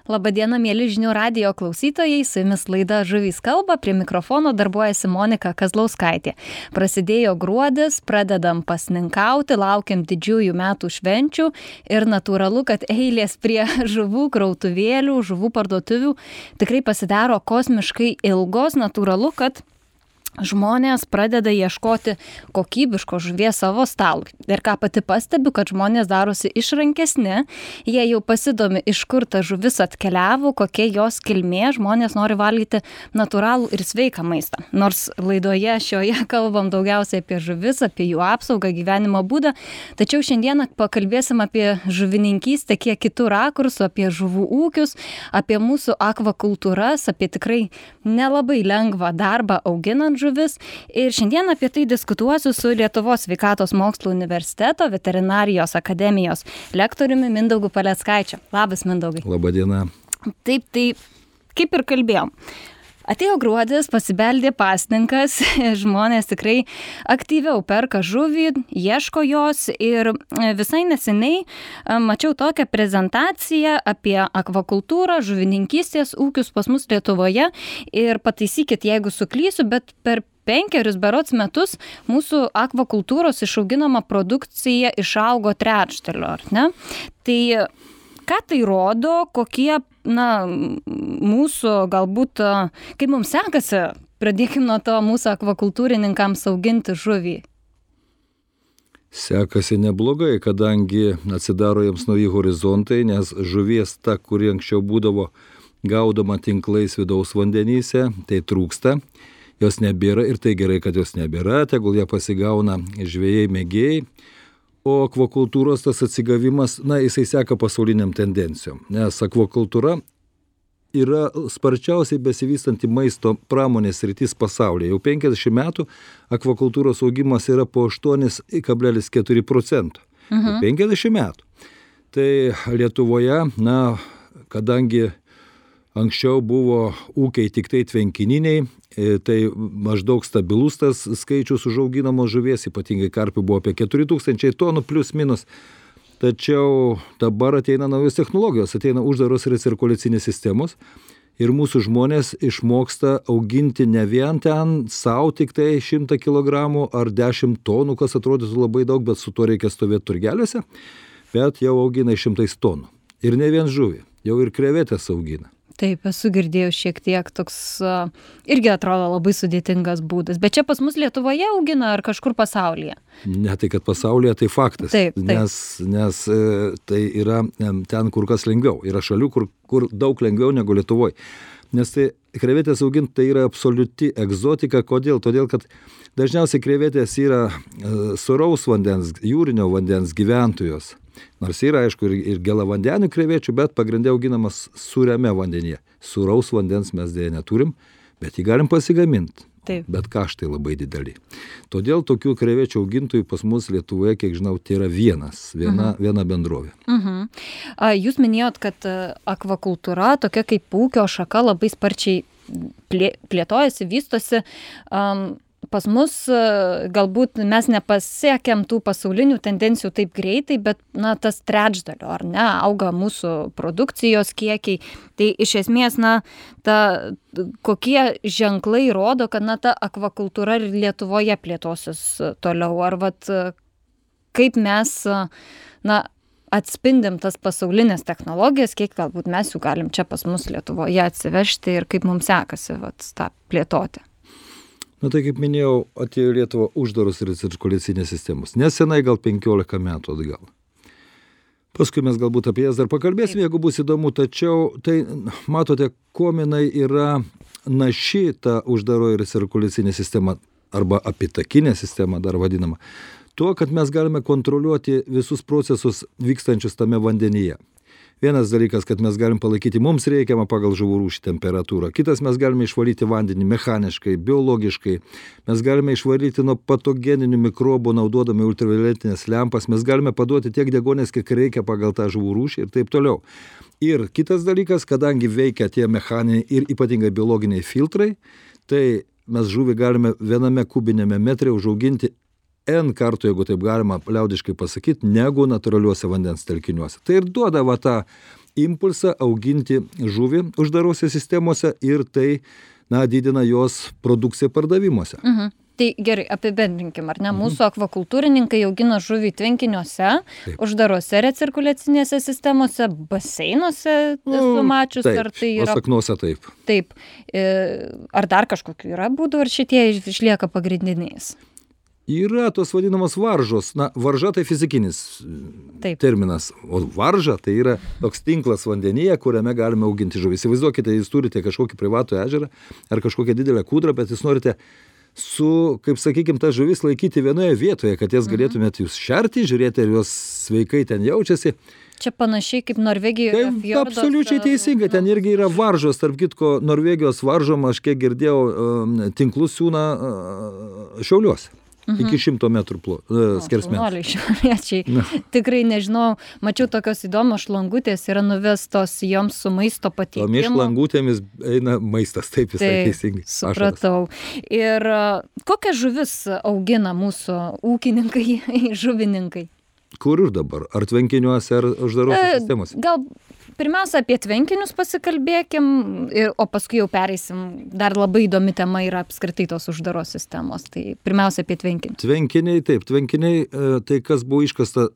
Labadiena, mėly žinių radijo klausytojai, su jumis laida Žuvys kalba, prie mikrofono darbuojasi Monika Kazlauskaitė. Prasidėjo gruodis, pradedam pasninkauti, laukiam didžiųjų metų švenčių ir natūralu, kad eilės prie žuvų krautuvėlių, žuvų parduotuvių tikrai pasidaro kosmiškai ilgos, natūralu, kad žmonės pradeda ieškoti kokybiško žuvies savo stalui. Ir ką pati pastebiu, kad žmonės darosi išrankesni, jie jau pasidomi, iš kur ta žuvis atkeliavo, kokia jos kilmė, žmonės nori valgyti natūralų ir sveiką maistą. Nors laidoje šioje kalbam daugiausiai apie žuvis, apie jų apsaugą, gyvenimo būdą, tačiau šiandieną pakalbėsim apie žuvininkystę kiek kitų rakursų, apie žuvų ūkius, apie mūsų akvakultūras, apie tikrai nelabai lengvą darbą auginant žuvis. Ir šiandien apie tai diskutuosiu su Lietuvos sveikatos mokslų universiteto veterinarijos akademijos lektoriumi Mindaugu Paleckaičiu. Labas, Mindaugai. Labadiena. Taip, kaip ir kalbėjom. Atėjo gruodis, pasibeldė pasninkas, žmonės tikrai aktyviau perka žuvį, ieško jos ir visai neseniai mačiau tokią prezentaciją apie akvakultūrą, žuvininkystės ūkius pas mus Lietuvoje ir pataisykit, jeigu suklysiu, bet per 5 berods metus mūsų akvakultūros išauginama produkcija išaugo trečdaliu, ar ne? Tai ką tai rodo, kokie, mūsų galbūt, kaip mums sekasi, pradėkim nuo to mūsų akvakultūrininkams auginti žuvį? Sekasi neblogai, kadangi atsidaro jiems nauji horizontai, nes žuvies ta, kuri anksčiau būdavo gaudoma tinklais vidaus vandenyse, tai trūksta, jos nebėra ir tai gerai, kad jos nebėra, tegul ją pasigauna žvejai mėgėjai. O akvakultūros tas atsigavimas, jisai seka pasauliniam tendencijom, nes akvakultūra yra sparčiausiai besivystanti maisto pramonės sritis pasaulyje. Jau 50 metų akvakultūros augimas yra po 8,4%. 50 metų. Tai Lietuvoje, kadangi anksčiau buvo ūkiai tik tai tvenkininiai, tai maždaug stabilus tas skaičius užauginamos žuvies, ypatingai karpių buvo apie 4000 tonų plius minus. Tačiau dabar ateina naujos technologijos, ateina uždaros recirkuliacinės sistemos ir mūsų žmonės išmoksta auginti ne vien ten savo tik tai 100 kg ar 10 tonų, kas atrodytų labai daug, bet su tuo reikia stovėti turgeliuose, bet jau augina 100 tonų. Ir ne vien žuvį, jau ir krevetės augina. Taip, esu girdėjus šiek tiek toks, irgi atrodo labai sudėtingas būdas. Bet čia pas mus Lietuvoje augina ar kažkur pasaulyje? Ne tai, kad pasaulyje, tai faktas. Taip. Nes tai yra ten kur kas lengviau. Yra šalių, kur daug lengviau negu Lietuvoje. Nes tai krevetės auginti tai yra absoliuti egzotika. Kodėl? Todėl, kad dažniausiai krevetės yra sūraus vandens, jūrinio vandens gyventojos. Nors yra, aišku, ir gelavandenių krevečių, bet pagrindė auginamas sūriame vandenyje. Sūraus vandens mes dėja neturim, bet jį galim pasigaminti. Taip. Bet kaštai labai dideli. Todėl tokių krevečių augintojų pas mus Lietuvoje, kiek žinau, tai yra viena bendrovė. Jūs minėjot, kad akvakultūra, tokia kaip ūkio šaka, labai sparčiai plėtojasi, vystosi. Pas mus galbūt mes nepasiekėm tų pasaulinių tendencijų taip greitai, bet tas trečdalio, ar ne, auga mūsų produkcijos kiekiai. Tai iš esmės, kokie ženklai rodo, kad ta akvakultūra ir Lietuvoje plėtosis toliau, ar kaip mes atspindim tas pasaulinės technologijas, kiek galbūt mes jų galim čia pas mus Lietuvoje atsivežti ir kaip mums sekasi tą plėtoti. Tai kaip minėjau, atėjo Lietuva uždaros recirkuliacinės sistemos. Nesenai, gal 15 metų atgal. Paskui mes galbūt apie jas dar pakalbėsim, jeigu bus įdomu, tačiau tai, matote, kominai yra naši ta uždaroji recirkuliacinė sistema, arba apitakinė sistema dar vadinama, tuo, kad mes galime kontroliuoti visus procesus vykstančius tame vandenyje. Vienas dalykas, kad mes galim palaikyti mums reikiamą pagal žuvų rūšį temperatūrą. Kitas, mes galime išvalyti vandenį mechaniškai, biologiškai. Mes galime išvalyti nuo patogeninių mikrobų, naudodami ultravioletinės lempas. Mes galime paduoti tiek deguonies, kiek reikia pagal tą žuvų rūšį ir taip toliau. Ir kitas dalykas, kadangi veikia tie mechaniniai ir ypatingai biologiniai filtrai, tai mes žuvį galime viename kubinėme metre užauginti N kartų, jeigu taip galima liaudiškai pasakyti, negu natūraliuose vandens telkiniuose. Tai ir duoda tą impulsą auginti žuvį uždarose sistemose ir tai, didina jos produkciją pardavimuose. Tai gerai, apibendrinkim, ar ne? Mūsų akvakultūrininkai augina žuvį tvenkiniuose, uždarose recirkuliacinėse sistemose, baseinuose, esu mačius, ar tai yra... Saknuose taip. Taip. Ar dar kažkokių yra būdų, ar šitie išlieka pagrindiniais? Yra tos vadinamos varžos. Varža tai fizikinis terminas, o varža tai yra toks tinklas vandenyje, kuriame galime auginti žuvį. Įsivaizduokite, jūs turite kažkokį privatų ežerą ar kažkokią didelę kūdrą, bet jūs norite kaip sakykim, tas žuvis laikyti vienoje vietoje, kad jas galėtumėte jūs šerti, žiūrėti, ar jos sveikai ten jaučiasi. Čia panašiai kaip Norvegijoje fjorduose. Absoliučiai teisingai, ten irgi yra varžos, tarp kitko Norvegijos varžom, aš kiek girdėjau, tinklus siūna Šiauliuose. Iki 100 metrų skersmens. Tikrai nežinau, mačiau tokios įdomios šlangutės yra nuvestos joms su maisto patiekimu. Tomis šlangutėmis eina maistas, taip visai teisingai. Supratau. Ir kokias žuvis augina mūsų ūkininkai, žuvininkai? Kur ir dabar? Ar tvenkiniuose, ar uždarose sistemose? Gal pirmiausia apie tvenkinius pasikalbėkim, o paskui jau pereisim. Dar labai įdomi tema yra apskritai tos uždaros sistemos. Tai pirmiausia apie tvenkinius. Tvenkiniai, taip. Tvenkiniai, tai kas buvo iškasta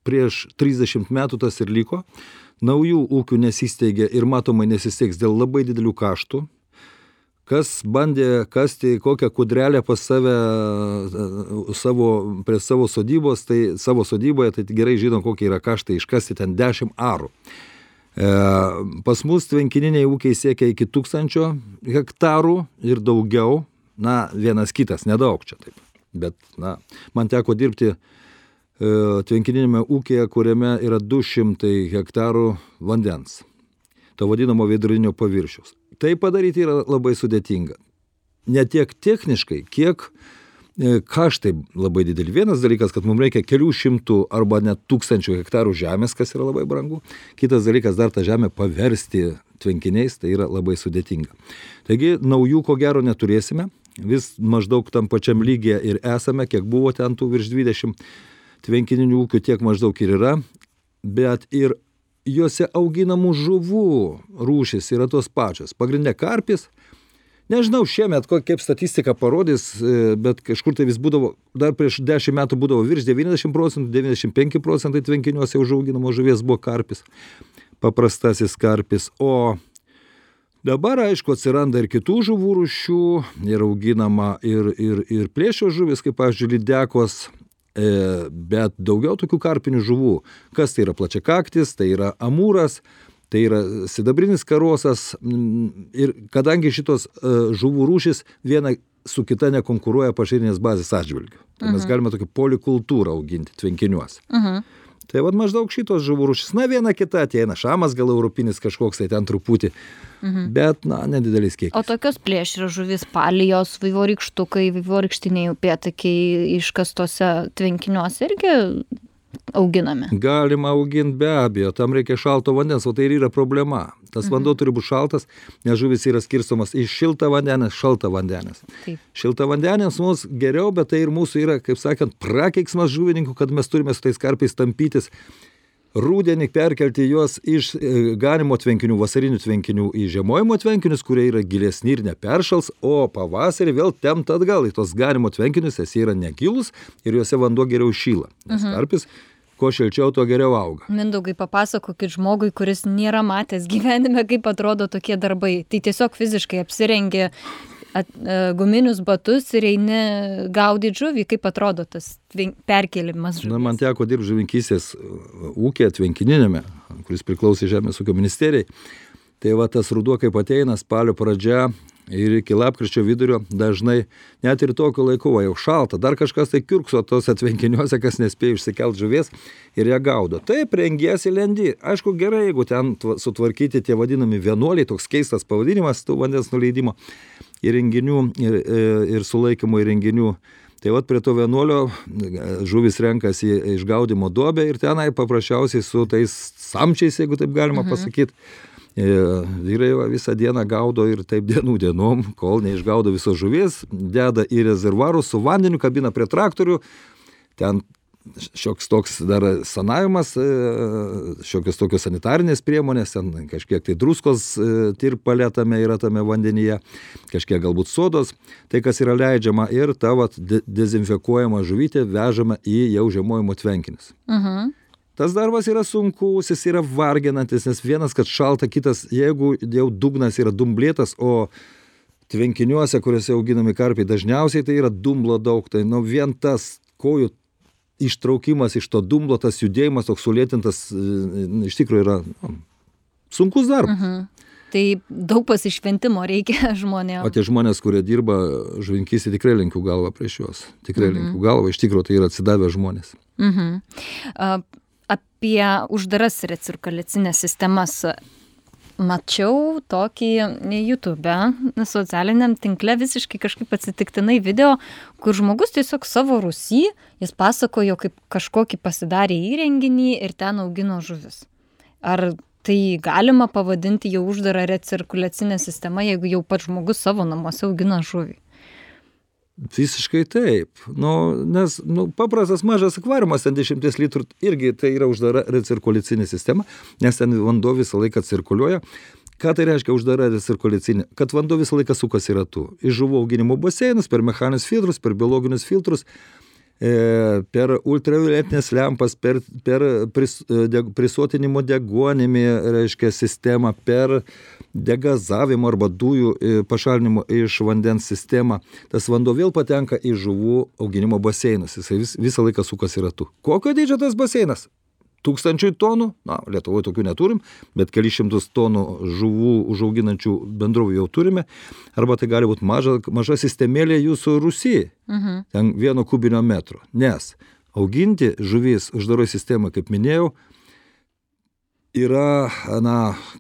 prieš 30 metų, tas ir liko. Naujų ūkių nesisteigė ir matomai nesisteigs dėl labai didelių kaštų. Kas bandė kasti kokią kudrelę pas save prie savo sodybos, tai savo sodyboje, tai gerai žino, kokie yra kaštai iškasti ten 10 arų. Pas mus tvenkininiai ūkiai siekia iki 1000 hektarų ir daugiau, vienas kitas, nedaug čia taip. Bet, man teko dirbti tvenkininėme ūkyje, kuriame yra 200 hektarų vandens, to vadinamo veidrodinio paviršiaus. Tai padaryti yra labai sudėtinga. Ne tiek techniškai, kiek kaštai labai dideli. Vienas dalykas, kad mums reikia kelių šimtų arba net 1000 hektarų žemės, kas yra labai brangu. Kitas dalykas, dar tą žemę paversti tvenkiniais, tai yra labai sudėtinga. Taigi, naujų ko gero neturėsime. Vis maždaug tam pačiam lygyje ir esame, kiek buvo ten tų virš 20 tvenkininių ūkių, tiek maždaug ir yra. Bet ir juose auginamų žuvų rūšis yra tos pačios. Pagrindinė karpis. Nežinau šiemet, kaip statistika parodys, bet kažkur tai vis būdavo, dar prieš 10 metų būdavo virš 90%, 95% tvenkiniuose užauginamo žuvies buvo karpis, paprastasis karpis. O dabar, aišku, atsiranda ir kitų žuvų rūšių, ir auginama ir plėšio žuvis, kaip, pavyzdžiui, lydekos, bet daugiau tokių karpinių žuvų. Kas tai yra plačiakaktis, tai yra amūras, tai yra sidabrinis karosas ir kadangi šitos žuvų rūšis viena su kita nekonkuruoja pašarinės bazės atžvilgiu. Tai mes galime tokį polikultūrą auginti tvenkiniuose. Tai maždaug šitos žuvų rūšis. Viena kita ateina, šamas gal europinis kažkoks, tai ten truputį, bet, nedidelis kiekis. O tokios plėšrios žuvis, palijos, vaivorykštukai, vaivorykštiniai upėtakiai iškastose tvenkiniuose irgi auginame? Galima auginti be abejo, tam reikia šalto vandens, o tai ir yra problema. Tas vanduo turi būti šaltas, nes žuvis yra skirstomas iš šiltą vandenės, šaltą vandenės. Šiltą vandenės mums geriau, bet tai ir mūsų yra, kaip sakant, prakeiksmas žuvininkų, kad mes turime su tais karpiais tampytis. Rudenį perkelti juos iš ganimo tvenkinių, vasarinių tvenkinių į žiemojimo tvenkinius, kurie yra gilesni ir neperšals, o pavasarį vėl tempt atgal į tos ganimo tvenkinius, jie yra negilus ir juose vanduo geriau šyla. Nes karpis, kuo šilčiau, tuo geriau auga. Mindaugai, papasakokit žmogui, kuris nėra matęs gyvenime, kaip atrodo tokie darbai. Tai tiesiog fiziškai apsirengia guminius batus ir eini gaudyti žuvį, kaip atrodo tas perkėlimas žuvis. Man teko dirbti žuvinkystės ūkyje tvenkininėme, kuris priklausė Žemės ūkio ministerijai. Tai tas ruduo, kaip ateina, spalio pradžia ir iki lapkričio vidurio, dažnai net ir tokiu laiku, jau šalta, dar kažkas tai kiurkso tose tvenkiniuose, kas nespėjo išsikelt žuvies ir ją gaudo. Taip, rengiesi lendi. Aišku, gerai, jeigu ten sutvarkyti tie vadinami vienuoliai, toks keistas pavadinimas tų vandens nuleidimo įrenginių ir sulaikymo įrenginių. Tai prie to vienuolio žuvis renkasi išgaudimo duobę ir tenai paprasčiausiai su tais samčiais, jeigu taip galima pasakyti, vyrai visą dieną gaudo ir taip dienom, kol neišgaudo visos žuvies, deda į rezervuarus su vandeniu, kabina prie traktorių, ten šioks toks dar sanavimas, šiokios tokios sanitarinės priemonės, ten kažkiek tai druskos tirpalė tame yra tame vandenyje, kažkiek galbūt sodos, tai kas yra leidžiama ir ta dezinfekuojama žuvytė vežama į jau žiemojimo tvenkinius. Tas darbas yra sunkus, jis yra varginantis, nes vienas, kad šalta, kitas, jeigu jau dugnas yra dumblėtas, o tvenkiniuose, kuriuose auginami karpiai, dažniausiai tai yra dumblo daug, tai vien tas kojų ištraukimas iš to dumblo, tas judėjimas toks sulėtintas, iš tikrųjų yra sunkus darbas. Tai daug pasišventimo reikia žmonėms. O tie žmonės, kurie dirba žuvininkystėje, tikrai lenkiu galvą prieš juos. Tikrai lenkiu galvą, iš tikrųjų tai yra atsidavę žmonės. Apie uždaras recirkuliacinės sistemas mačiau tokį YouTube, socialiniam tinkle visiškai kažkaip atsitiktinai video, kur žmogus tiesiog savo rūsy, jis pasakojo, kaip kažkokį pasidarė įrenginį ir ten augino žuvis. Ar tai galima pavadinti jau uždarą recirkuliacinę sistemą, jeigu jau pats žmogus savo namuose augina žuvį? Visiškai taip. Nes paprastas mažas akvariumas, ten 10 litrų, irgi tai yra uždara recirkuliacinė sistema, nes ten vanduo visą laiką cirkuliuoja. Ką tai reiškia uždara recirkuliacinė? Kad vanduo visą laiką sukasi ratu. Iš žuvų auginimo baseinus, per mechaninius filtrus, per biologinius filtrus, per ultravioletinės lempas, per prisotinimo deguonimi, reiškia, sistemą, per degazavimo arba dujų pašalinimo iš vandens sistemą. Tas vanduo vėl patenka į žuvų auginimo baseinus. Jisai visą laiką sukasi ratu. Kokio dydžio tas baseinas? 1000 tonų, Lietuvoje tokių neturim, bet keli šimtus tonų žuvų užauginančių bendrovių jau turime, arba tai gali būti maža sistemėlė jūsų rūsy, ten 1 kubinio metro, nes auginti žuvis uždaroj sistemą, kaip minėjau, yra,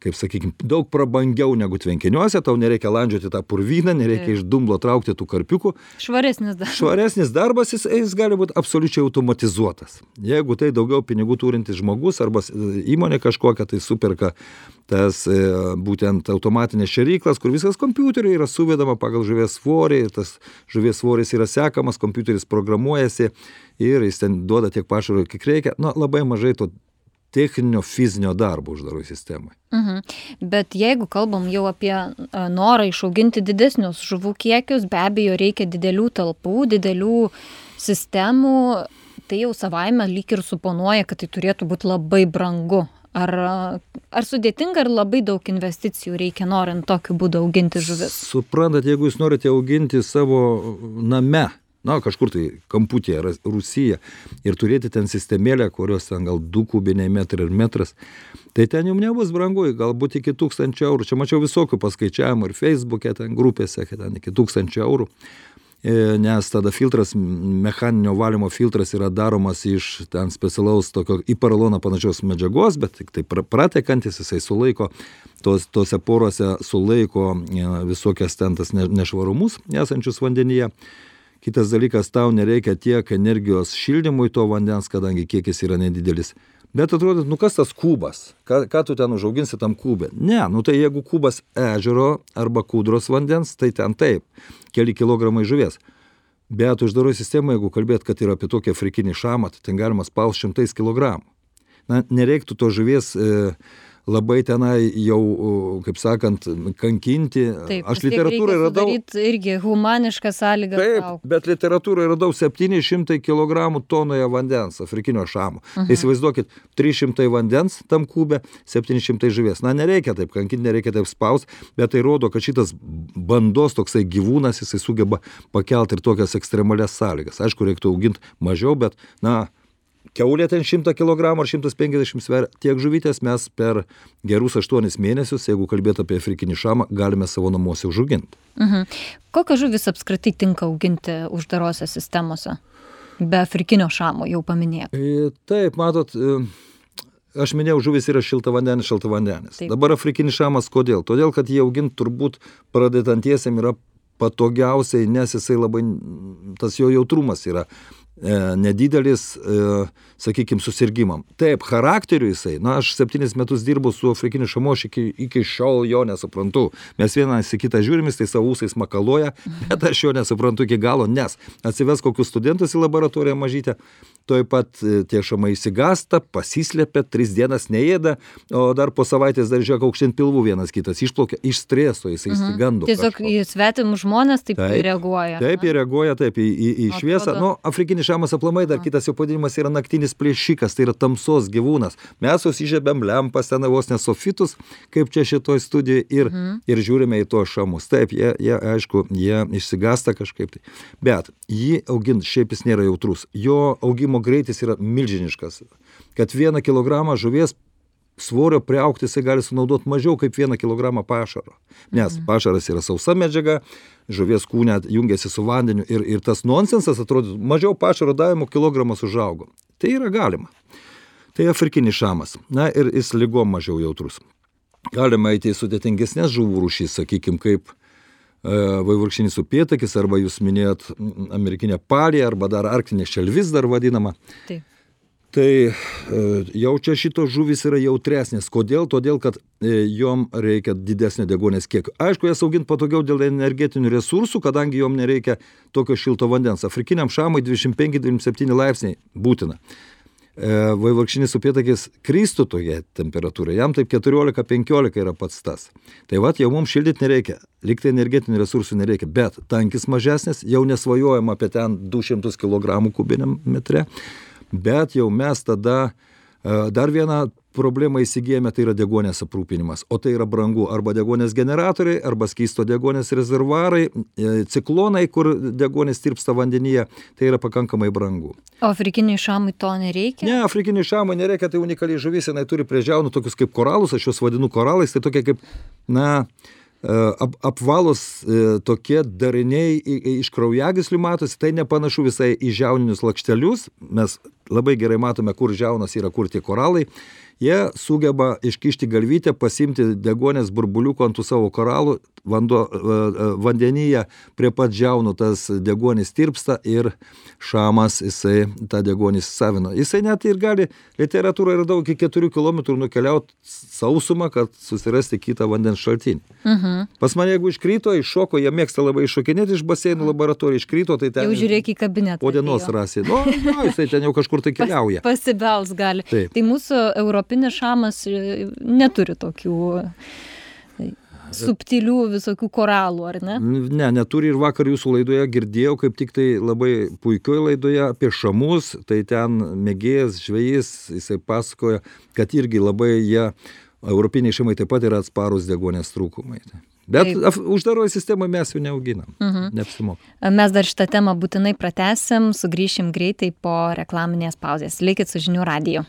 kaip sakykime, daug prabangiau negu tvenkiniuose, tau nereikia landžioti tą purvyną, nereikia iš dumblo traukti tų karpiukų. Švaresnis darbas, jis gali būti absoliučiai automatizuotas. Jeigu tai daugiau pinigų turintis žmogus arba įmonė kažkokia, tai superka tas būtent automatinės šėryklas, kur viskas kompiuteriu yra suvedama pagal žuvies svorį, ir tas žuvies svoris yra sekamas, kompiuteris programuojasi ir jis ten duoda tiek pašaro, kiek reikia. Labai mažai to techninio fizinio darbo uždaroj sistemai. Bet jeigu kalbam jau apie norą išauginti didesnius žuvų kiekius, be abejo reikia didelių talpų, didelių sistemų, tai jau savaime lyg ir suponuoja, kad tai turėtų būti labai brangu. Ar sudėtinga, ar labai daug investicijų reikia norint tokiu būdu auginti žuvis? Suprantat, jeigu jūs norite auginti savo name, kažkur tai kamputėje, rūsyje, ir turėti ten sistemėlę, kurios ten gal 2 kubiniai metrai ir metras, tai ten jums nebus brangu, galbūt iki 1000 eurų. Čia mačiau visokių paskaičiavimų ir Facebook'e, ten grupėse, kad ten iki 1000 eurų, nes tada filtras, mechaninio valymo filtras yra daromas iš ten specialaus tokio į poroloną panašios medžiagos, bet tik tai pratekantis, jisai sulaiko, tose porose sulaiko visokias ten tas nešvarumus esančius vandenyje. Kitas dalykas, tau nereikia tiek energijos šildymui to vandens, kadangi kiekis yra nedidelis. Bet atrodo, kas tas kubas? Ką tu ten užauginsi tam kubė? Ne, tai jeigu kubas ežero arba kūdros vandens, tai ten taip, keli kilogramai žuvies. Bet uždaroj sistemai, jeigu kalbėt, kad yra apie tokį afrikinį šamą, tai ten galima spaus 100 kilogramų. Nereiktų to žuvies labai tenai jau, kaip sakant, kankinti. Taip, aš literatūrai radau... Sudaryti irgi humanišką sąlygą. Taip, bet literatūrai radau 700 kg tonoje vandens, afrikinio šamo. Įsivaizduokit, 300 vandens tam kubė, 700 žuvies. Nereikia taip kankinti, nereikia taip spaust, bet tai rodo, kad šitas bandos toksai gyvūnas, jisai sugeba pakelti ir tokias ekstremalias sąlygas. Aišku, reiktų auginti mažiau, bet, kiaulė ten 100 kg ar 150 sveria. Tiek žuvytės mes per gerus 8 mėnesius, jeigu kalbėt apie afrikinį šamą, galime savo namuose užauginti. Kokią žuvis apskritai tinka auginti uždarose sistemose? Be afrikinio šamo jau paminėt. Taip, matot, aš minėjau, žuvis yra šiltavandenis. Dabar afrikinis šamas kodėl? Todėl, kad jį auginti turbūt pradedantiesiem yra patogiausiai, nes jisai labai, tas jo jautrumas yra nedidelis, sakykime, susirgimam. Taip, charakteriu jisai, aš 7 metus dirbu su afrikiniu šamu, aš iki šiol jo nesuprantu. Mes vienas į kitą žiūrim, jis tai savo ūsais makaloja, bet aš jo nesuprantu iki galo, nes atsives kokius studentus į laboratoriją mažytę, toj pat tie šamai įsigasta, pasislepia, 3 dienas neėda, o dar po savaitės dar žiūrėk aukštyn pilvų vienas kitas išplaukia, iš streso jisai įsigando. Tiesiog į svetimus žmonės taip reaguoja. Taip, jie reaguoja taip į šviesą. Nu, afrikinis šamas aplamai, dar kitas jo pavadinimas yra naktinis plėšikas, tai yra tamsos gyvūnas. Mes susižiebėm lempas ten vos nesofitus, kaip čia šitoj studijai ir žiūrime į tuos šamus. Taip, jie aišku, jie išsigasta kažkaip tai. Bet jį augint šiaip jis nėra jautrus. Jo augimo greitis yra milžiniškas. Kad 1 kilogramą žuvies svorio priaugti jisai gali sunaudoti mažiau kaip 1 kilogramą pašaro. Nes pašaras yra sausa medžiaga, žuvies kūne jungiasi su vandeniu ir tas nonsensas atrodo, mažiau pašaro davimo kilogramas užaugo. Tai yra galima. Tai afrikinis šamas. Na ir jis ligom mažiau jautrus. Galima eiti į sudėtingesnės žuvų rūšys, sakykime, kaip vaivorykštinis upėtakis, arba jūs minėjot amerikinę palį, arba dar arktinė šelvis dar vadinama. Taip. Tai jau čia šitos žuvys yra jautresnės. Kodėl? Todėl, kad jom reikia didesnio deguonies kiekio. Aišku, jas augint patogiau dėl energetinių resursų, kadangi jom nereikia tokio šilto vandens. Afrikiniam šamui 25-27 laipsniai būtina. Vaivorykštinis upėtakis kristų toje temperatūroje, jam taip 14-15 yra pats tas. Tai vat jau mums šildyti nereikia, liktai energetinių resursų nereikia, bet tankis mažesnis, jau nesvajojama apie ten 200 kg kubiniam metre, bet jau mes tada dar vieną problemą įsigijame, tai yra deguonies aprūpinimas, o tai yra brangu, arba deguonies generatoriai, arba skysto deguonies rezervuarai, ciklonai, kur deguonies tirpsta vandenyje, tai yra pakankamai brangu. O afrikiniai šamai to nereikia? Ne, afrikiniai šamai nereikia, tai unikaliai žuvis, jinai turi prie žiaunų tokius kaip koralus, aš juos vadinu koralais, tai tokie kaip, apvalus tokie dariniai iš kraujagyslių matosi, tai nepanašu visai į žiauninius lakštelius, mes labai gerai matome, kur žiaunas yra, kur tie koralai. Jie sugeba iškišti galvytę, pasimti deguonės burbuliuko ant tų savo koralų, vandenyje prie pat žiaunų tas deguonis tirpsta ir šamas jisai tą deguonį įsisavino. Jisai net ir gali, literatūra yra daug, iki 4 km nukeliauti sausumą, kad susirasti kitą vandens šaltinį. Pas mane, jeigu iškrito, iššoko, jie mėgsta labai iššokinėti iš baseinų laboratorijų, iškrito, tai ten... Jau žiūrėk į kabinetą. Po dienos rasi. Jisai ten jau kažkur tai keliauja. Pasibels gali. Taip. Tai mūsų europinis šamas neturi tokių subtilių visokių koralų, ar ne? Ne, neturi, ir vakar jūsų laidoje girdėjau, kaip tik tai labai puikioje laidoje apie šamus, tai ten mėgėjas, žvejys, jisai pasakoja, kad irgi labai jie, europiniai šamai taip pat yra atsparus deguonies trūkumai. Bet uždaroje sistemoje mes jų neauginam, neapsimoka. Mes dar šitą temą būtinai pratęsim, sugrįšim greitai po reklaminės pauzės. Likit su Žinių radiju.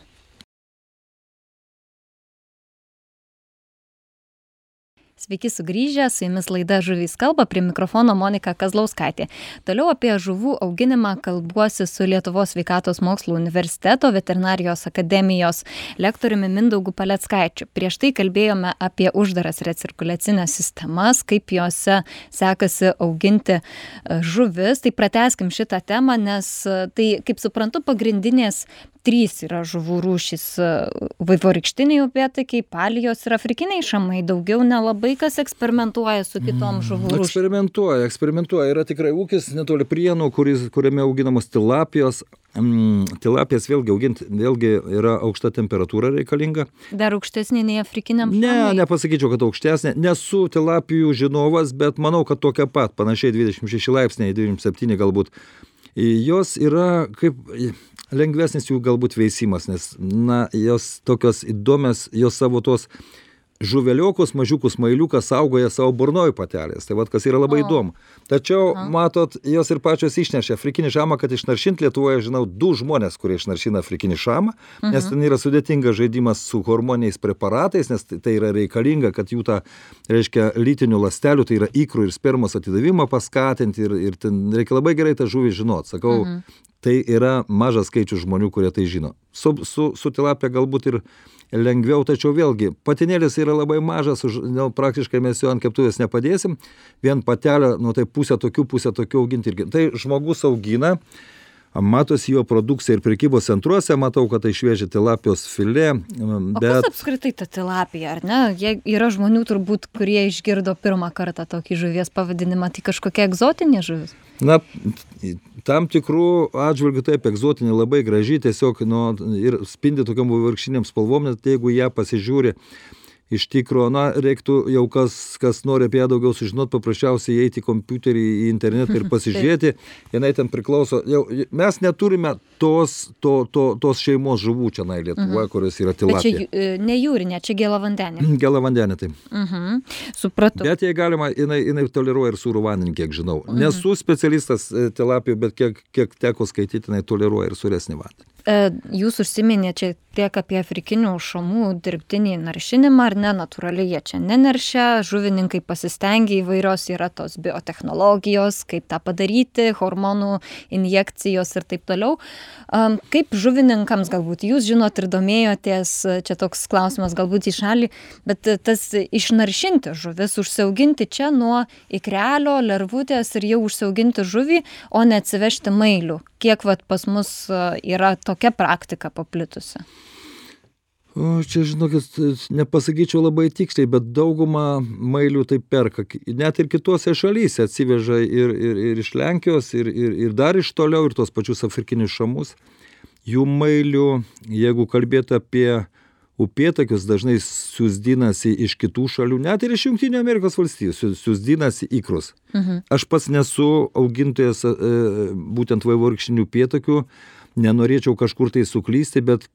Sveiki sugrįžę, su jumis laida Žuvys kalba, prie mikrofono Monika Kazlauskaitė. Toliau apie žuvų auginimą kalbuosi su Lietuvos sveikatos mokslų universiteto veterinarijos akademijos lektoriumi Mindaugu Paleckaičiu. Prieš tai kalbėjome apie uždaras recirkuliacinės sistemas, kaip jose sekasi auginti žuvis. Tai pratęskim šitą temą, nes tai, kaip suprantu, pagrindinės 3 yra žuvų rūšys: vaivorykštiniai upėtakiai, palijos ir afrikiniai šamai. Daugiau nelabai kas eksperimentuoja su kitom žuvų rūšim. Eksperimentuoja. Yra tikrai ūkis netoli Prienų, kuriame auginamos tilapijos. Tilapijas vėlgi auginti, vėlgi yra aukšta temperatūra reikalinga. Dar aukštesnė nei afrikiniam šamai? Ne, nepasakyčiau, kad aukštesnė. Nesu tilapijų žinovas, bet manau, kad tokia pat, panašiai 26 laipsniai, 27 galbūt. Jos yra kaip lengvesnis jų galbūt veisimas, nes, jos tokios įdomios, jos savo tos žuveliokus, mažiukus mailiukas saugoja savo burnoj patelės. Tai vat, kas yra labai įdomu. Tačiau, matot, jos ir pačios išnešia afrikinį šamą, kad išnaršint Lietuvoje, žinau, 2 žmonės, kurie išnaršina afrikinį šamą, nes ten yra sudėtingas žaidimas su hormoniniais preparatais, nes tai yra reikalinga, kad jų tą, reiškia, lytinių ląstelių, tai yra ikrų ir spermos atidavimą paskatinti ir ten reikia labai gerai tą žuvį žinot. Sakau, tai yra mažas skaičius žmonių, kurie tai žino. Su tilapija galbūt ir lengviau, tačiau vėlgi, patinėlis yra labai mažas, praktiškai mes jo ant keptuvės nepadėsim, vien patelę, tai pusę tokių auginti irgi. Tai žmogus augina, matosi jo produkcija ir prekybos centruose, matau, kad tai šviežia tilapijos filė. O kas apskritai ta tilapija, ar ne? Yra žmonių turbūt, kurie išgirdo pirmą kartą tokį žuvies pavadinimą, tai kažkokia egzotinė žuvis? Na, tam tikrų atžvilgių taip, egzotinė, labai graži, tiesiog ir spindi tokiam vaivorykštiniam spalvom, net jeigu ją pasižiūri. Iš tikro, reiktų jau kas nori apie ją daugiau sužinoti, paprasčiausiai eiti į kompiuterį, į internetą ir pasižiūrėti. Jinai ten priklauso. Mes neturime tos šeimos žuvų čia Lietuvoje, kurios yra tilapija. Bet čia ne jūrinė, čia gėlavandenė. Gėlavandenė, taip. Supratau. Bet jai galima, jinai toleruoja ir sūrų vandenį, kiek žinau. Nesu specialistas tilapijų, bet kiek teko skaityti, jinai toleruoja ir sūresnį vandenį. Jūs užsiminėte čia tiek apie afrikinių šamų dirbtinį naršinimą, ar ne, natūraliai jie čia neneršia, žuvininkai pasistengia, įvairios yra tos biotechnologijos, kaip tą padaryti, hormonų injekcijos ir taip toliau. Kaip žuvininkams galbūt, jūs žinot ir domėjotės, čia toks klausimas galbūt į šalį, bet tas išnaršinti žuvis, užsiauginti čia nuo ikrelio, lervutės ir jau užsiauginti žuvį, o ne atsivežti mailių. Kiek pas mus yra tokia praktika paplitusi? Čia, žinokit, nepasakyčiau labai tiksliai, bet dauguma mailių tai perka. Net ir kitose šalyse atsiveža ir iš Lenkijos, ir dar iš toliau, ir tos pačius afrikinius šamus. Jų mailių, jeigu kalbėtų apie upėtakius, dažnai siūsdinasi iš kitų šalių, net ir iš Jungtinių Amerikos valstijų, siūsdinasi ikrus. Aš pats nesu augintojas būtent vaivorykštinių upėtakių, nenorėčiau kažkur tai suklysti, bet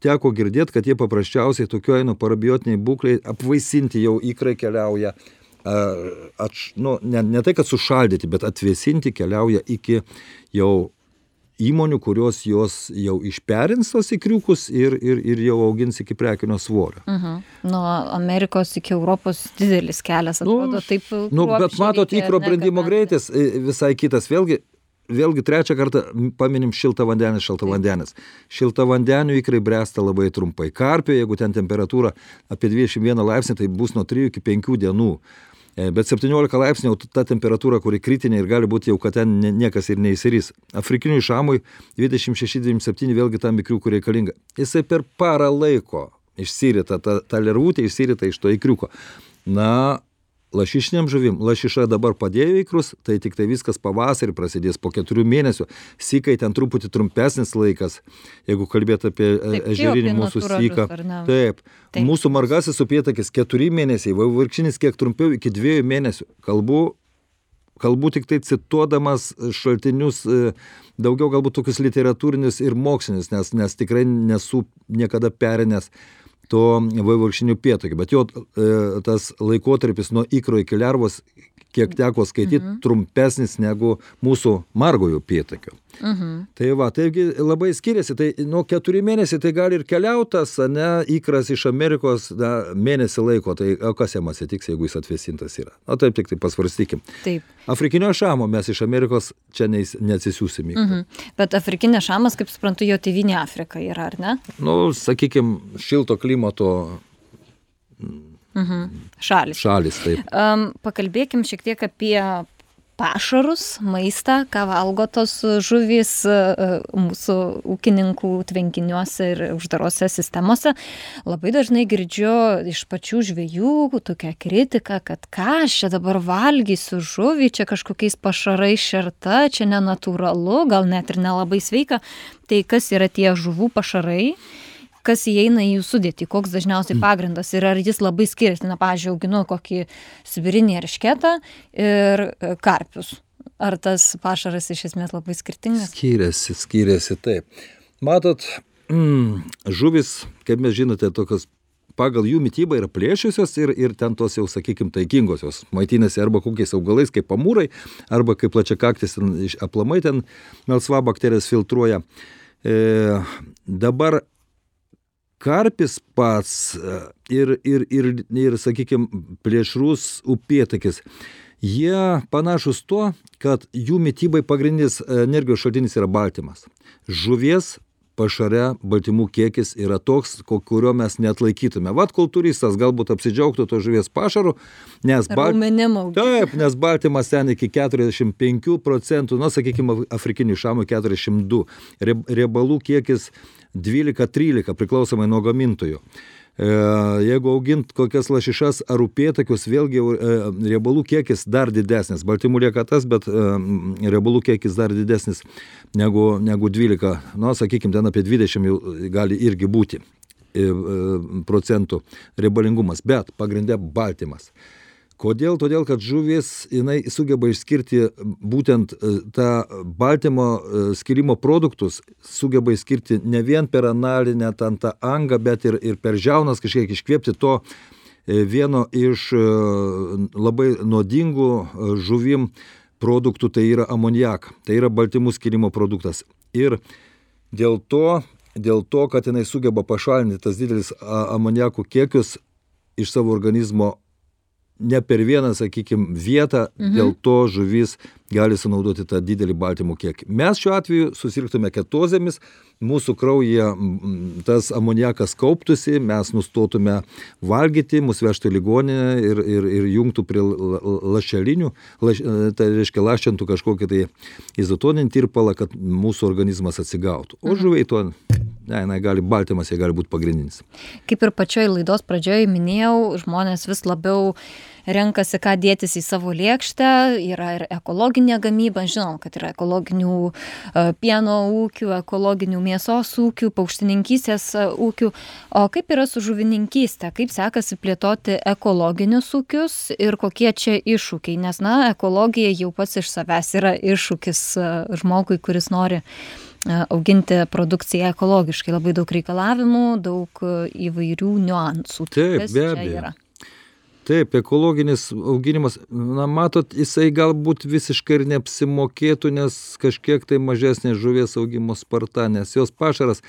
teko girdėti, kad jie paprasčiausiai tokioje parabiotiniai būklei apvaisinti jau ikrai keliauja, ne tai, kad sušaldyti, bet atvėsinti keliauja iki jau įmonių, kurios jos jau išperins tos ikriukus ir jau augins iki prekinio svorio. Nuo Amerikos iki Europos didelis kelias, atrodo, taip. Bet matot, ikro brendimo greitis visai kitas. Vėlgi trečią kartą paminim šiltavandenis. Šiltavandenių ikrai bręsta labai trumpai. Karpio, jeigu ten temperatūra apie 21 laipsnį, tai bus nuo 3 iki 5 dienų. Bet 17 laipsnių ta temperatūra, kuri kritinė ir gali būti jau, kad ten niekas ir neįsirys. Afrikiniui šamui 26-27 vėlgi tam ikriukų reikalinga. Jisai per parą laiko išsirita, ta lervutė išsirita iš to ikriuko. Lašišiniam žuvim, lašiša dabar padėjo ikrus, tai tik tai viskas pavasarį prasidės po 4 mėnesių. Sykai ten truputį trumpesnis laikas, jeigu kalbėt apie ežerinį mūsų syką. Taip. Mūsų margasis upėtakis 4 mėnesiai, vaivorykštinis kiek trumpiau iki 2 mėnesių. Kalbu tik tai cituodamas šaltinius, daugiau galbūt tokius literatūrinius ir mokslinius, nes tikrai nesu niekada perinęs to vaivorykštinių upėtakių, bet jo tas laikotarpis nuo ikro iki lervos, kiek teko skaityti, trumpesnis negu mūsų margojo upėtakio. Taigi labai skiriasi, tai nuo 4 mėnesiai tai gali ir keliautas, ikras iš Amerikos mėnesį laiko, tai kas jam atsitiks, jeigu jis atvėsintas yra. Taip, tik tai pasvarstykim. Taip. Afrikinio šamo mes iš Amerikos čia neatsisiųsim. Bet afrikinė šamas, kaip suprantu, jo tėvynė Afrika yra, ar ne? Sakykim, šilto klimato šalis, taip. Pakalbėkim šiek tiek apie pašarus, maistą, ką valgo tos žuvys mūsų ūkininkų tvenkiniuose ir uždarose sistemose. Labai dažnai girdžiu iš pačių žvejų tokią kritiką, kad ką aš čia dabar valgysiu žuvį, čia kažkokiais pašarais šerta, čia nenatūralu, gal net ir nelabai sveika. Tai kas yra tie žuvų pašarai? Kas įeina į jų sudėtį, koks dažniausiai pagrindas ir ar jis labai skiriasi. Pavyzdžiui, auginu kokį sibirinį eršketą ir karpius. Ar tas pašaras iš esmės labai skirtingas? Skiriasi, taip. Matot, žuvis, kaip mes žinote, tokios pagal jų mitybą yra plėšiusios ir ten tos jau, sakykim, taikingosios. Maitinasi arba kokiais augalais, kaip amūrai, arba kaip plačiakaktis aplamai ten melsva bakterijas filtruoja. Dabar karpis pats ir sakykime, plėšrus upėtakis, jie panašus tuo, kad jų mitybai pagrindinis energijos šaltinis yra baltymas. Žuvies pašare baltymų kiekis yra toks, kurio mes neatlaikytume. Vat kultūristas galbūt apsidžiaugtų to žuvies pašaru, nes taip, nes baltymas ten iki 45%, sakykime, afrikinių šamų 42, riebalų kiekis 12-13 priklausomai nuo gamintojų. Jeigu augint kokias lašišas ar upėtakius, vėlgi riebalų kiekis dar didesnis. Baltymų lieka tas, bet riebalų kiekis dar didesnis negu 12. Sakykime, ten apie 20 jau gali irgi būti procentų riebalingumas, bet pagrinde baltymas. Kodėl? Todėl, kad žuvis, jinai sugeba išskirti būtent tą baltymo skirimo produktus, sugeba išskirti ne vien per analinę tą angą, bet ir per žiaunas kažkiek iškvėpti to vieno iš labai nuodingų žuvim produktų, tai yra amoniaką. Tai yra baltymų skirimo produktas. Ir dėl to, kad jinai sugeba pašalinti tas didelis amoniakų kiekius iš savo organizmo, ne per vieną, sakykime, vietą, dėl to žuvis gali sunaudoti tą didelį baltymų kiekį. Mes šiuo atveju susirgtume ketozėmis, mūsų kraujyje tas amoniakas kauptųsi, mes nustotume valgyti, mus vežtų į ligoninę ir jungtų prie lašelinių, tai reiškia lašintų kažkokį tai izotoninį tirpalą, kad mūsų organizmas atsigautų. O žuviai to, baltymas jie gali būti pagrindinis. Kaip ir pačioj laidos pradžioje minėjau, žmonės vis labiau renkasi, ką dėtis į savo lėkštę, yra ir ekologinė gamyba, žinom, kad yra ekologinių pieno ūkių, ekologinių mėsos ūkių, paukštininkystės ūkių. O kaip yra su žuvininkystė? Kaip sekasi plėtoti ekologinius ūkius ir kokie čia iššūkiai? Nes, ekologija jau pats iš savęs yra iššūkis žmogui, kuris nori auginti produkciją ekologiškai. Labai daug reikalavimų, daug įvairių niuansų. Taip, be abejo. Taip, ekologinis auginimas, matot, jisai galbūt visiškai ir neapsimokėtų, nes kažkiek tai mažesnė žuvies augimo sparta, nes jos pašaras,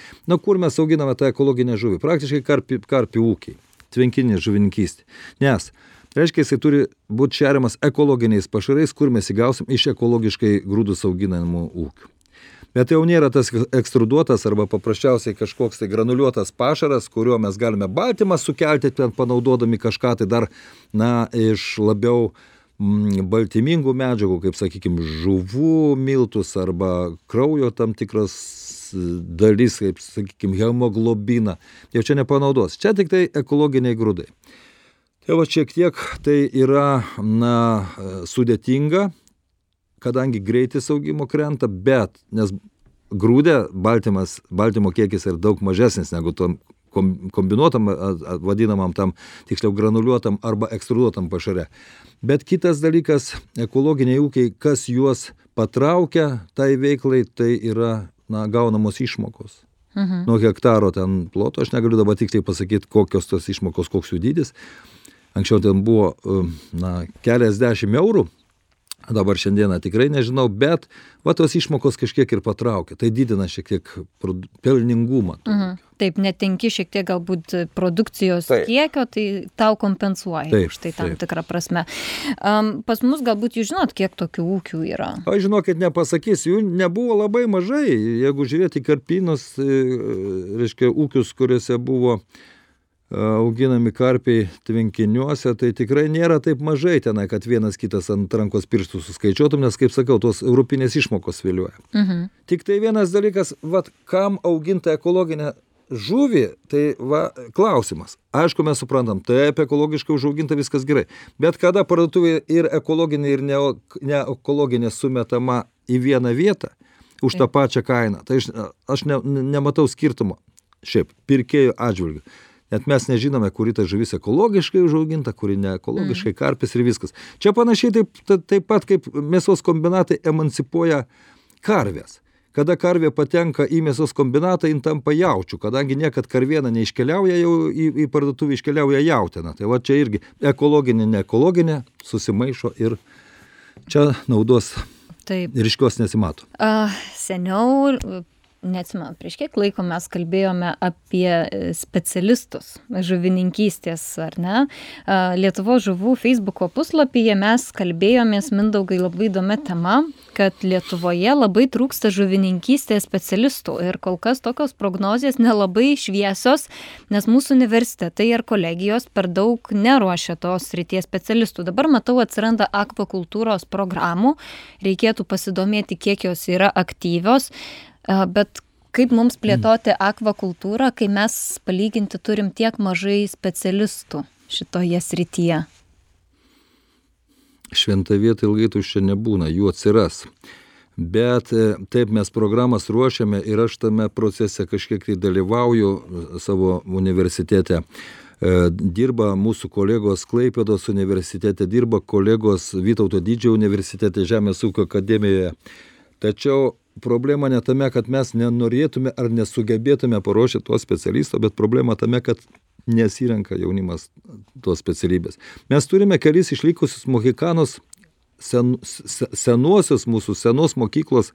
kur mes auginame tą ekologinę žuvį? Praktiškai karpių ūkiai, tvenkinė žuvininkystė. Nes, reiškia, jisai turi būti šeriamas ekologiniais pašarais, kur mes įgausim iš ekologiškai grūdus auginamų ūkių. Bet jau nėra tas ekstruduotas arba paprasčiausiai kažkoks tai granuliuotas pašaras, kuriuo mes galime baltymą sukelti, ten panaudodami kažką tai dar, iš labiau baltymingų medžiagų, kaip, sakykime, žuvų miltus arba kraujo tam tikras dalis, kaip, sakykime, hemoglobiną. Jau čia nepanaudos. Čia tik tai ekologiniai grūdai. Tai va šiek tiek tai yra, sudėtinga, kadangi greitis augimo krenta, bet nes grūdė baltymo kiekis yra daug mažesnis negu tom kombinuotam, vadinamam tam, tiksliau granuliuotam arba ekstruduotam pašare. Bet kitas dalykas, ekologiniai ūkiai, kas juos patraukia tai veiklai, tai yra gaunamos išmokos. Nuo hektaro ten ploto, aš negaliu dabar tiksliai pasakyti, kokios tos išmokos, koks jų dydis. Anksčiau ten buvo keliasdešimt eurų. Dabar šiandieną tikrai nežinau, bet tos išmokos kažkiek ir patraukia. Tai didina šiek tiek pelningumą. Taip, netenki šiek tiek galbūt produkcijos kiekio, tai tau kompensuoja. Štai tam tikrą prasme. Pas mus galbūt jūs žinot, kiek tokių ūkių yra? Aš žinokit, nepasakysiu, jų nebuvo labai mažai. Jeigu žiūrėti karpynus, reiškia ūkius, kuriuose buvo auginami karpiai tvenkiniuose, tai tikrai nėra taip mažai tenai, kad vienas kitas ant rankos pirštų suskaičiuotum, nes, kaip sakau, tos europinės išmokos vėliuoja. Tik tai vienas dalykas, kam auginta ekologinė žuvį, tai klausimas. Aišku, mes suprantam, taip, ekologiškai užauginta viskas gerai, bet kada parduotuvėje ir ekologinė, ir neekologinė sumetama į vieną vietą už tą pačią kainą, tai aš nematau skirtumo šiaip pirkėjų atžvilgių. Net mes nežinome, kuri ta žuvis ekologiškai užauginta, kuri ne ekologiškai, karpis ir viskas. Čia panašiai taip pat, kaip mėsos kombinatai emancipuoja karvės. Kada karvė patenka į mėsos kombinatą, jin tampa jaučių, kadangi niekad karviena neiškeliauja jau į parduotuvę, iškeliauja jautiena. Tai čia irgi ekologinė, neekologinė susimaišo ir čia naudos ryškios nesimato. Seniau neatsimenu, prieš kiek laiko mes kalbėjome apie specialistus žuvininkystės, ar ne? Lietuvos žuvų Facebooko puslapyje mes kalbėjomės, Mindaugai, labai įdomia tema, kad Lietuvoje labai trūksta žuvininkystės specialistų ir kol kas tokios prognozijas nelabai šviesios, nes mūsų universitetai ir kolegijos per daug neruošia tos srities specialistų. Dabar matau, atsiranda akvakultūros programų, reikėtų pasidomėti, kiek jos yra aktyvios. Bet kaip mums plėtoti akvakultūrą, kai mes palyginti turim tiek mažai specialistų šitoje srityje? Šventa vieta ilgai tuščia nebūna, jų atsiras. Bet taip mes programas ruošiame ir aš tame procese kažkiek tai dalyvauju savo universitete. Dirba mūsų kolegos Klaipėdos universitete, dirba kolegos Vytauto Didžiojo universitete, Žemės ūkio akademijoje. Tačiau problema ne tame, kad mes nenorėtume ar nesugebėtume paruošti tuos specialistų, bet problema tame, kad nesirenka jaunimas tos specialybės. Mes turime kelis išlikusius mohikanus, senuosius mūsų senos mokyklos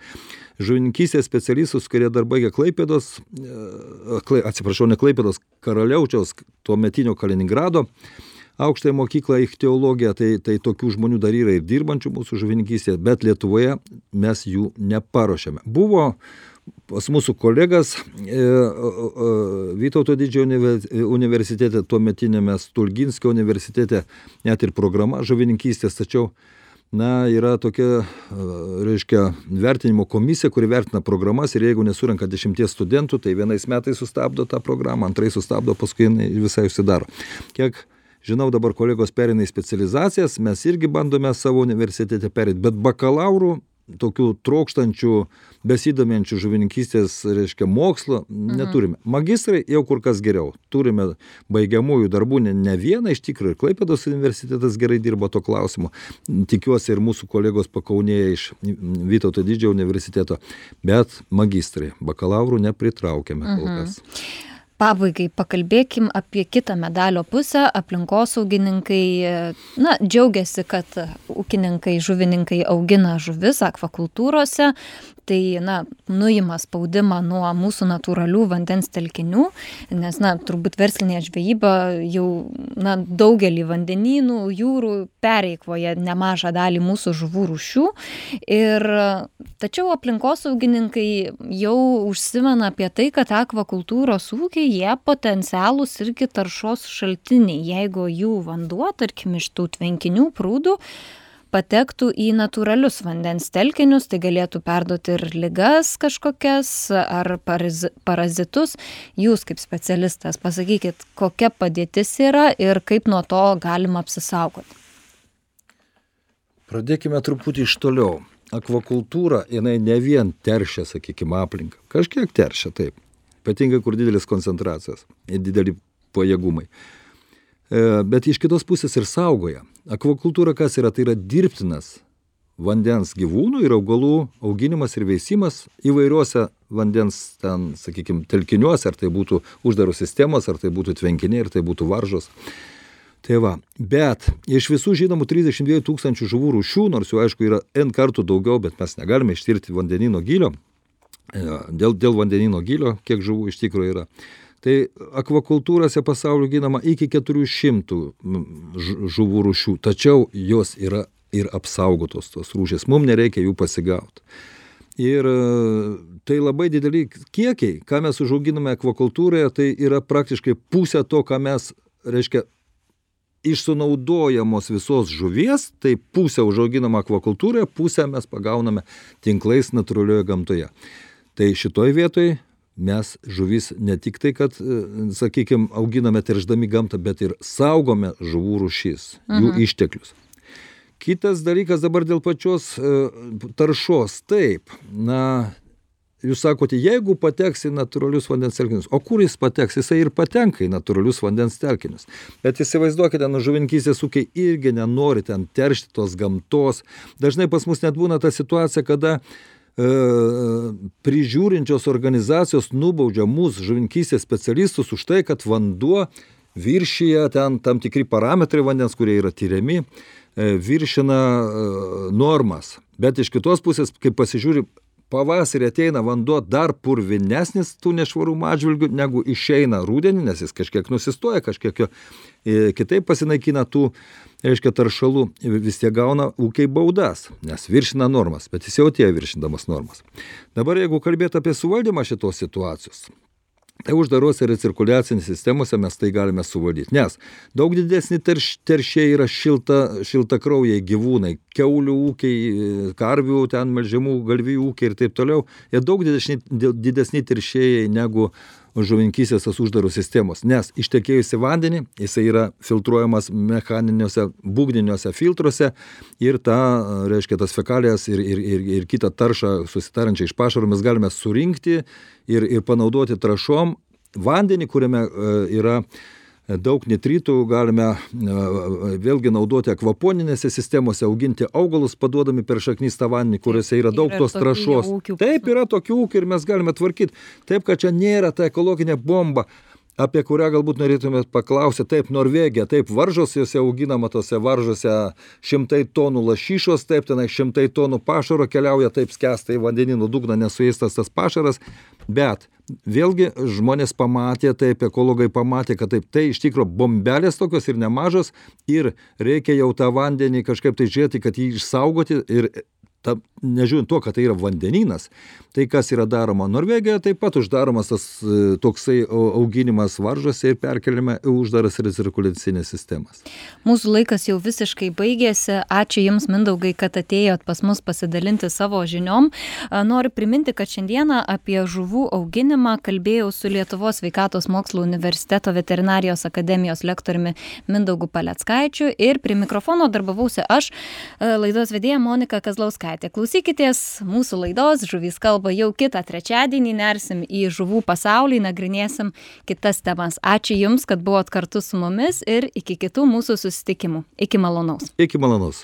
žuvininkystės specialistus, kurie dar baigė Klaipėdos, ne Klaipėdos, Karaliaučiaus, tuometinio Kaliningrado aukštąją mokyklą ichtiologiją, tai tokių žmonių dar yra ir dirbančių mūsų žuvininkystėje, bet Lietuvoje mes jų neparuošėme. Buvo pas mūsų kolegas Vytauto Didžiojo universitete, tuometinėme Stulginskio universitete, net ir programa žuvininkystės, tačiau yra tokia, vertinimo komisija, kuri vertina programas ir jeigu nesurenka 10 studentų, tai vienais metais sustabdo tą programą, antrais sustabdo, paskui visai užsidaro. Kiek žinau, dabar kolegos pereina į specializacijas, mes irgi bandome savo universitete perėti, bet bakalaurų, tokių trokštančių, besidominčių žuvininkystės, mokslo neturime. Magistrai jau kur kas geriau. Turime baigiamųjų darbų ne vieną, iš tikrųjų, ir Klaipėdos universitetas gerai dirba to klausimu. Tikiuosi ir mūsų kolegos pakaunėje iš Vytauto Didžiojo universiteto, bet magistrai, bakalaurų nepritraukėme kol kas. Pabaigai pakalbėkim apie kitą medalio pusę. Aplinkosaugininkai, džiaugiasi, kad ūkininkai, žuvininkai augina žuvis akvakultūrose. Tai, nuima spaudimą nuo mūsų natūralių vandens telkinių, nes, turbūt verslinė žvejyba jau, daugelį vandenynų, jūrų pereikvoja nemažą dalį mūsų žuvų rūšių. Tačiau aplinkosaugininkai jau užsimena apie tai, kad akvakultūros ūkiai, jie potencialūs irgi taršos šaltiniai, jeigu jų vanduo, tarkim, iš tų tvenkinių prūdų, patektų į natūralius vandens telkinius, tai galėtų perduoti ir ligas kažkokias ar parazitus. Jūs kaip specialistas pasakykit, kokia padėtis yra ir kaip nuo to galima apsisaugoti. Pradėkime truputį iš toliau. Akvakultūra, jinai ne vien teršia, sakykime, aplinką. Kažkiek teršia, taip. Ypatingai, kur didelis koncentracijos ir dideli pajėgumai. Bet iš kitos pusės ir saugoja. Akvakultūra kas yra? Tai yra dirbtinas vandens gyvūnų ir augalų auginimas ir veisimas įvairiuose vandens telkiniuose, ar tai būtų uždaros sistemos, ar tai būtų tvenkiniai, ar tai būtų varžos. Tai va, bet iš visų žinomų 32 000 žuvų rūšių, nors jų aišku yra N kartų daugiau, bet mes negalime ištirti vandenyno gylio, dėl vandenyno gylio, kiek žuvų iš tikrųjų yra. Tai akvakultūrose pasaulio ginama iki 400 žuvų rūšių, tačiau jos yra ir apsaugotos tos rūšės, mums nereikia jų pasigauti. Ir tai labai dideli kiekiai, ką mes užauginame akvakultūroje, tai yra praktiškai pusė to, ką mes, iš sunaudojamos visos žuvies, tai pusę užauginama akvakultūroje, pusę mes pagauname tinklais natūralioje gamtoje. Tai šitoj vietoj mes žuvis ne tik tai, kad, auginame teršdami gamtą, bet ir saugome žuvų rūšis, jų išteklius. Kitas dalykas dabar dėl pačios taršos. Taip, jūs sakote, jeigu pateks į natūralius vandens telkinius, o kur jis pateks? Jisai ir patenka į natūralius vandens telkinius. Bet įsivaizduokite, žuvininkystės ūkiai irgi nenori ten teršti tos gamtos. Dažnai pas mus net būna ta situacija, kada prižiūrinčios organizacijos nubaudžia mūsų žuvininkystės specialistus už tai, kad vanduo viršyje ten tam tikri parametrai vandens, kurie yra tyriami, viršina normas. Bet iš kitos pusės, kai pasižiūri, pavasarį ateina vanduo dar purvinesnis tų nešvarumų atžvilgių, negu išeina rudenį, nes jis kažkiek nusistoja, kažkiek kitaip pasinaikina tų, reiškia, taršalų, vis tiek gauna ūkiai baudas, nes viršina normas, bet jis jau atėjo viršindamas normas. Dabar jeigu kalbėti apie suvaldymą šitos situacijos, tai uždarose recirkuliacinėse sistemose mes tai galime suvaldyti, nes daug didesni teršiai yra šiltakraujai gyvūnai, kiaulių ūkiai, karvių, ten melžiamų galvijų ūkiai ir taip toliau, jie daug didesni teršėjai negu žuvininkystės tos uždarų sistemos, nes ištekėjusi vandenį, jisai yra filtruojamas mechaniniuose, būgniniuose filtruose ir reiškia, tas fekalijas ir kitą taršą susitarančią iš pašarų mes galime surinkti ir panaudoti trąšom. Vandenį, kuriame yra daug nitritų, galime vėlgi naudoti akvaponinėse sistemose, auginti augalus, paduodami per šaknystą vandenį, kuriuose yra daug tos trąšos. Taip, yra tokių ūkių ir mes galime tvarkyti. Taip, kad čia nėra ta ekologinė bomba, apie kurią galbūt norėtumėt paklausyti. Taip, Norvegija, taip, varžos, jose auginama tose varžose 100 tonų lašišos, taip, tenai 100 tonų pašaro keliauja, taip skęsta į vandeninų dugną, nesuėstas tas pašaras, bet vėlgi žmonės pamatė, taip, ekologai pamatė, kad taip, tai iš tikrųjų bombelės tokios ir nemažos ir reikia jau tą vandenį kažkaip tai žiūrėti, kad jį išsaugoti ir nežiūrint to, kad tai yra vandenynas, tai kas yra daroma Norvegijoje, taip pat uždaromas tas toksai auginimas varžose ir perkeliame į uždaras recirkuliacinės sistemas. Mūsų laikas jau visiškai baigėsi. Ačiū Jums, Mindaugai, kad atėjot pas mus pasidalinti savo žiniom. Noriu priminti, kad šiandieną apie žuvų auginimą kalbėjau su Lietuvos sveikatos mokslų universiteto veterinarijos akademijos lektoriumi Mindaugu Paleckaičiu ir prie mikrofono darbavausi aš, laidos vedėja Monika Kazlauskaitė. Klausykitės mūsų laidos Žuvys kalba jau kitą trečiadienį, nersim į žuvų pasaulį, nagrinėsim kitas temas. Ačiū Jums, kad buvot kartu su mumis ir iki kitų mūsų susitikimų. Iki malonaus. Iki malonaus.